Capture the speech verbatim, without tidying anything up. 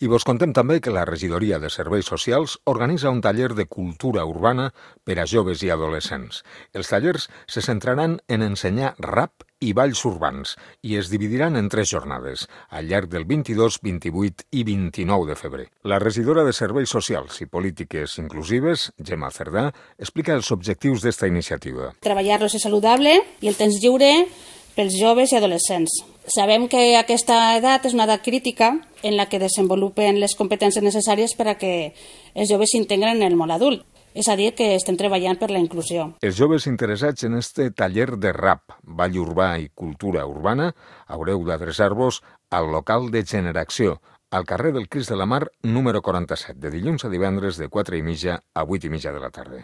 I vos contem també que la Regidoria de Serveis Socials organitza un taller de cultura urbana per a joves i adolescents. Els tallers se centraran en ensenyar rap i balls urbans i es dividiran en tres jornades, al llarg del vint-i-dos, vint-i-vuit i vint-i-nou de febrer. La regidora de Serveis Socials i Polítiques Inclusives, Gemma Cerdà, explica els objectius d'esta iniciativa. Treballar l'oci saludable i el temps lliure pels joves i adolescents. Sabem que aquesta edat és una edat crítica en la que desenvolupen les competències necessàries per a que els joves s'integren en el món adult. És a dir, que estem treballant per la inclusió. Els joves interessats en este taller de rap, ball urbà i cultura urbana haureu d'adreçar-vos al local de Generació, al carrer del Crist de la Mar, número quaranta-set, de dilluns a divendres de quatre i mitja a vuit i mitja de la tarda.